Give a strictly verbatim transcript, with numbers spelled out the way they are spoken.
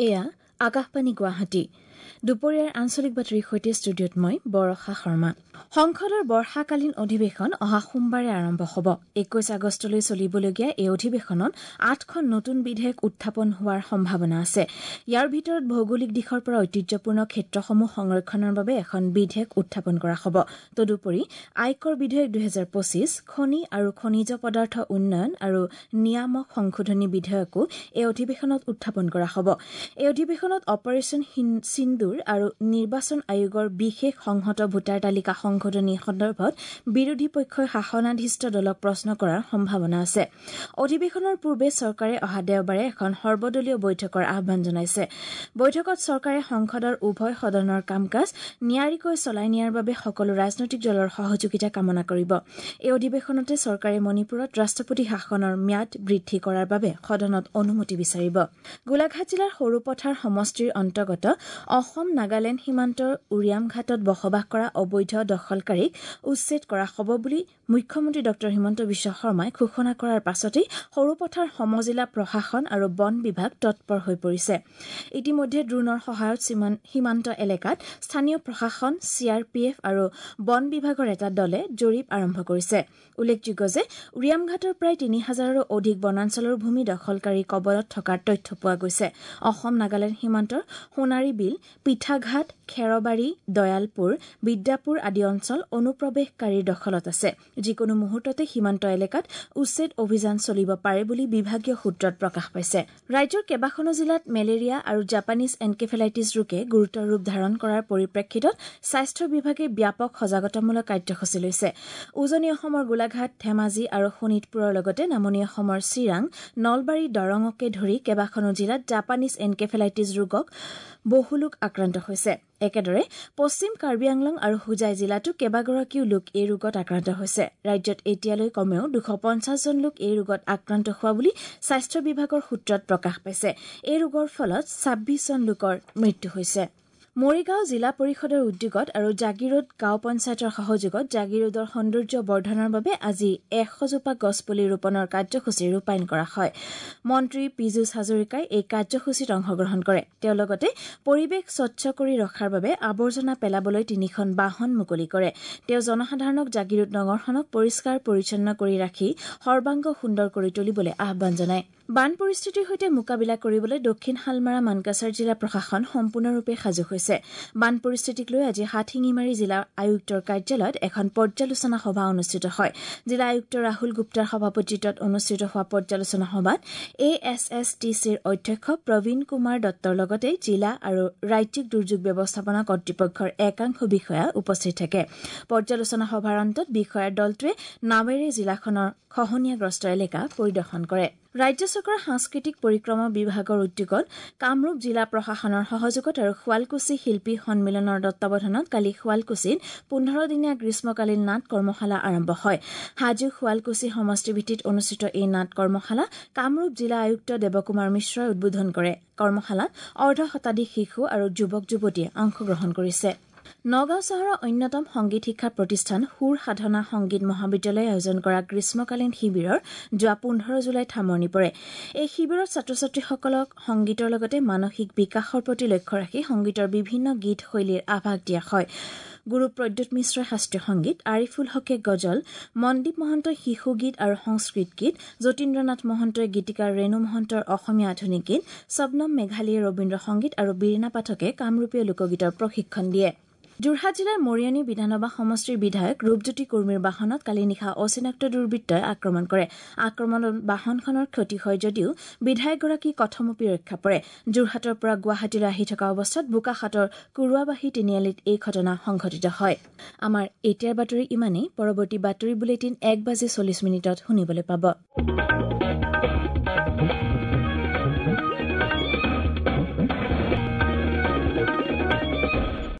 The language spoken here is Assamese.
এয়া আকাশবাণী গুৱাহাটী। দুপৰীয়াৰ আঞ্চলিক বাতৰিৰ সৈতে ষ্টুডিঅ'ত মই বৰষা শৰ্মা। সংসদৰ বৰ্ষাকালীন অধিৱেশন অহা সোমবাৰে আৰম্ভ হ'ব। একৈশ আগষ্টলৈ চলিবলগীয়া এই অধিৱেশনত আঠখন নতুন বিধেয়ক উত্থাপন হোৱাৰ সম্ভাৱনা আছে। ইয়াৰ ভিতৰত ভৌগোলিক দিশৰ পৰা ঐতিহ্যপূৰ্ণ ক্ষেত্ৰসমূহ সংৰক্ষণৰ বাবে এখন বিধেয়ক উত্থাপন কৰা হ'ব। তদুপৰি আয়কৰ বিধেয়ক দুহেজাৰ পঁচিছ, খনি আৰু খনিজ পদাৰ্থ উন্নয়ন আৰু নিয়ামক সংশোধনী বিধেয়কো এই অধিৱেশনত উত্থাপন কৰা হ'ব। এই অধিৱেশনত অপাৰেচন সিন্দুৰ আৰু নিৰ্বাচন আয়োগৰ বিশেষ সংহত ভোটাৰ তালিকা সংশোধনী সন্দৰ্ভত বিৰোধী পক্ষই শাসনাধিষ্ঠ দলক প্ৰশ্ন কৰাৰ সম্ভাৱনা আছে। অধিৱেশনৰ পূৰ্বে চৰকাৰে অহা দেওবাৰে এখন সৰ্বদলীয় বৈঠকৰ আহ্বান জনাইছে। বৈঠকত চৰকাৰে সংসদৰ উভয় সদনৰ কাম কাজ নিয়াৰিকৈ চলাই নিয়াৰ বাবে সকলো ৰাজনৈতিক দলৰ সহযোগিতা কামনা কৰিব। এই অধিৱেশনতে চৰকাৰে মণিপুৰত ৰাষ্ট্ৰপতি শাসনৰ ম্যাদ বৃদ্ধি কৰাৰ বাবে সদনত অনুমতি বিচাৰিব। গোলাঘাট জিলাৰ সৰুপথাৰ সমষ্টিৰ অন্তৰ্গত অসম নাগালেণ্ড সীমান্তৰ উৰিয়ামঘাটত বসবাস কৰা অবৈধ দখলকাৰীক উচ্ছেদ কৰা হ'ব বুলি মুখ্যমন্ত্ৰী ডঃ হিমন্ত বিশ্ব শৰ্মাই ঘোষণা কৰাৰ পাছতেই সৰুপথাৰ সমজিলা প্ৰশাসন আৰু বন বিভাগ তৎপৰ হৈ পৰিছে। ইতিমধ্যে ড্ৰোনৰ সহায়ত সীমান্ত এলেকাত স্থানীয় প্ৰশাসন, চি আৰ পি এফ আৰু বন বিভাগৰ এটা দলে জৰীপ আৰম্ভ কৰিছে। উল্লেখযোগ্য যে উৰিয়ামঘাটৰ প্ৰায় তিনি হাজাৰৰো অধিক বনাঞ্চলৰ ভূমি দখলকাৰীৰ কবলত থকাৰ তথ্য পোৱা গৈছে। অসম নাগালেণ্ড সীমান্তৰ সোণাৰী বিল, পিঠাঘাট, খেৰবাৰী, দয়ালপুৰ, বিদ্যাপুৰ আদি অঞ্চল অনুপ্ৰৱেশকাৰীৰ দখলত আছে। যিকোনো মুহূৰ্ততে সীমান্ত এলেকাত উচ্ছেদ অভিযান চলিব পাৰে বুলি বিভাগীয় সূত্ৰত প্ৰকাশ পাইছে। ৰাজ্যৰ কেইবাখনো জিলাত মেলেৰিয়া আৰু জাপানীজ এনকেফেলাইটিছ ৰোগে গুৰুতৰ ৰূপ ধাৰণ কৰাৰ পৰিপ্ৰেক্ষিতত স্বাস্থ্য বিভাগে ব্যাপক সজাগতামূলক কাৰ্যসূচী লৈছে। উজনি অসমৰ গোলাঘাট, ধেমাজি আৰু শোণিতপুৰৰ লগতে নামনি অসমৰ চিৰাং, নলবাৰী, দৰঙকে ধৰি কেইবাখনো জিলাত জাপানীজ এনকেফেলাইটিছ ৰোগক বহু লোক আক্ৰান্ত হৈছে। একেদৰে পশ্চিম কাৰ্বি আংলং আৰু হোজাই জিলাতো কেইবাগৰাকীও লোক এই ৰোগত আক্ৰান্ত হৈছে। ৰাজ্যত এতিয়ালৈ কমেও দুশ পঞ্চাছজন লোক এই ৰোগত আক্ৰান্ত হোৱা বুলি স্বাস্থ্য বিভাগৰ সূত্ৰত প্ৰকাশ পাইছে। এই ৰোগৰ ফলত ছাব্বিছজন লোকৰ মৃত্যু হৈছে। মৰিগাঁও জিলা পৰিষদৰ উদ্যোগত আৰু জাগীৰোড গাঁও পঞ্চায়তৰ সহযোগত জাগীৰোডৰ সৌন্দৰ্য বৰ্ধনৰ বাবে আজি এশজোপা গছপুলি ৰোপণৰ কাৰ্যসূচী ৰূপায়ণ কৰা হয়। মন্ত্ৰী পীযুষ হাজৰিকাই এই কাৰ্যসূচীত অংশগ্ৰহণ কৰে। তেওঁ লগতে পৰিৱেশ স্বচ্ছ কৰি ৰখাৰ বাবে আৱৰ্জনা পেলাবলৈ তিনিখন বাহন মুকলি কৰে। তেওঁ জনসাধাৰণক জাগীৰোড নগৰখনক পৰিষ্কাৰ পৰিচ্ছন্ন কৰি ৰাখি সৰ্বাংগ সুন্দৰ কৰি তুলিবলৈ আহ্বান জনায়। বান পৰিস্থিতিৰ সৈতে মোকাবিলা কৰিবলৈ দক্ষিণ শালমাৰা মানকাছাৰ জিলা প্ৰশাসন সম্পূৰ্ণৰূপে সাজু হৈছে। বান পৰিস্থিতিক লৈ আজি হাটশিঙিমাৰী জিলা আয়ুক্তৰ কাৰ্যালয়ত এখন পৰ্যালোচনা সভা অনুষ্ঠিত হয়। জিলা আয়ুক্ত ৰাহুল গুপ্তাৰ সভাপতিত্বত অনুষ্ঠিত হোৱা পৰ্যালোচনা সভাত এ এছ এছ টি চিৰ অধ্যক্ষ প্ৰবীণ কুমাৰ দত্তৰ লগতে জিলা আৰু ৰাজ্যিক দুৰ্যোগ ব্যৱস্থাপনা কৰ্তৃপক্ষৰ একাংশ বিষয়া উপস্থিত থাকে। পৰ্যালোচনা সভাৰ অন্তত বিষয়াৰ দলটোৱে নাৱেৰে জিলাখনৰ খহনীয়াগ্ৰস্ত এলেকা পৰিদৰ্শন কৰে। ৰাজ্য চৰকাৰৰ সাংস্কৃতিক পৰিক্ৰমা বিভাগৰ উদ্যোগত কামৰূপ জিলা প্ৰশাসনৰ সহযোগত আৰু শুৱালকুছি শিল্পী সন্মিলনৰ তত্বাৱধানত কালি শুৱালকুছিত পোন্ধৰ দিনীয়া গ্ৰীষ্মকালীন নাট কৰ্মশালা আৰম্ভ হয়। হাজো শুৱালকুছি সমষ্টিভিত্তিত অনুষ্ঠিত এই নাট কৰ্মশালা কামৰূপ জিলা আয়ুক্ত দেৱকুমাৰ মিশ্ৰই উদ্বোধন কৰে। কৰ্মশালাত অৰ্ধ শতাধিক শিশু আৰু যুৱক যুৱতীয়ে অংশগ্ৰহণ কৰিছে। নগাঁও চহৰৰ অন্যতম সংগীত শিক্ষা প্ৰতিষ্ঠান সুৰ সাধনা সংগীত মহাবিদ্যালয়ে আয়োজন কৰা গ্ৰীষ্মকালীন শিবিৰৰ যোৱা পোন্ধৰ জুলাইত সামৰণি পৰে। এই শিবিৰত ছাত্ৰ ছাত্ৰীসকলক সংগীতৰ লগতে মানসিক বিকাশৰ প্ৰতি লক্ষ্য ৰাখি সংগীতৰ বিভিন্ন গীত শৈলীৰ আভাস দিয়া হয়। গুৰু প্ৰদ্যুৎ মিশ্ৰই শাস্ত্ৰীয় সংগীত, আৰিফুল হকে গজল, মনদীপ মহন্তই শিশু গীত আৰু সংস্কৃত গীত, যতীন্দ্ৰনাথ মহন্তই গীতিকাৰ ৰেণু মহন্তৰ অসমীয়া আধুনিক গীত, শবনম মেঘালীয়ে ৰবীন্দ্ৰ সংগীত আৰু বীৰিণা পাঠকে কামৰূপীয় লোকগীতৰ প্ৰশিক্ষণ দিয়ে। যোৰহাট জিলাৰ মৰিয়নি বিধানসভা সমষ্টিৰ বিধায়ক ৰূপজ্যোতি কুৰ্মীৰ বাহনত কালি নিশা অচিনাক্ত দুৰ্বৃত্তই আক্ৰমণ কৰে। আক্ৰমণত বাহনখনৰ ক্ষতি হয় যদিও বিধায়কগৰাকী কথমপি ৰক্ষা পৰে। যোৰহাটৰ পৰা গুৱাহাটীলৈ আহি থকা অৱস্থাত বোকাখাটৰ কুৰুৱাবাহী তিনিআলিত এই ঘটনা সংঘটিত হয়। আমাৰ এতিয়াৰ বাতৰি ইমানেই। পৰৱৰ্তী বাতৰি বুলেটিন এক বাজি চল্লিছ মিনিটত শুনিবলৈ পাব।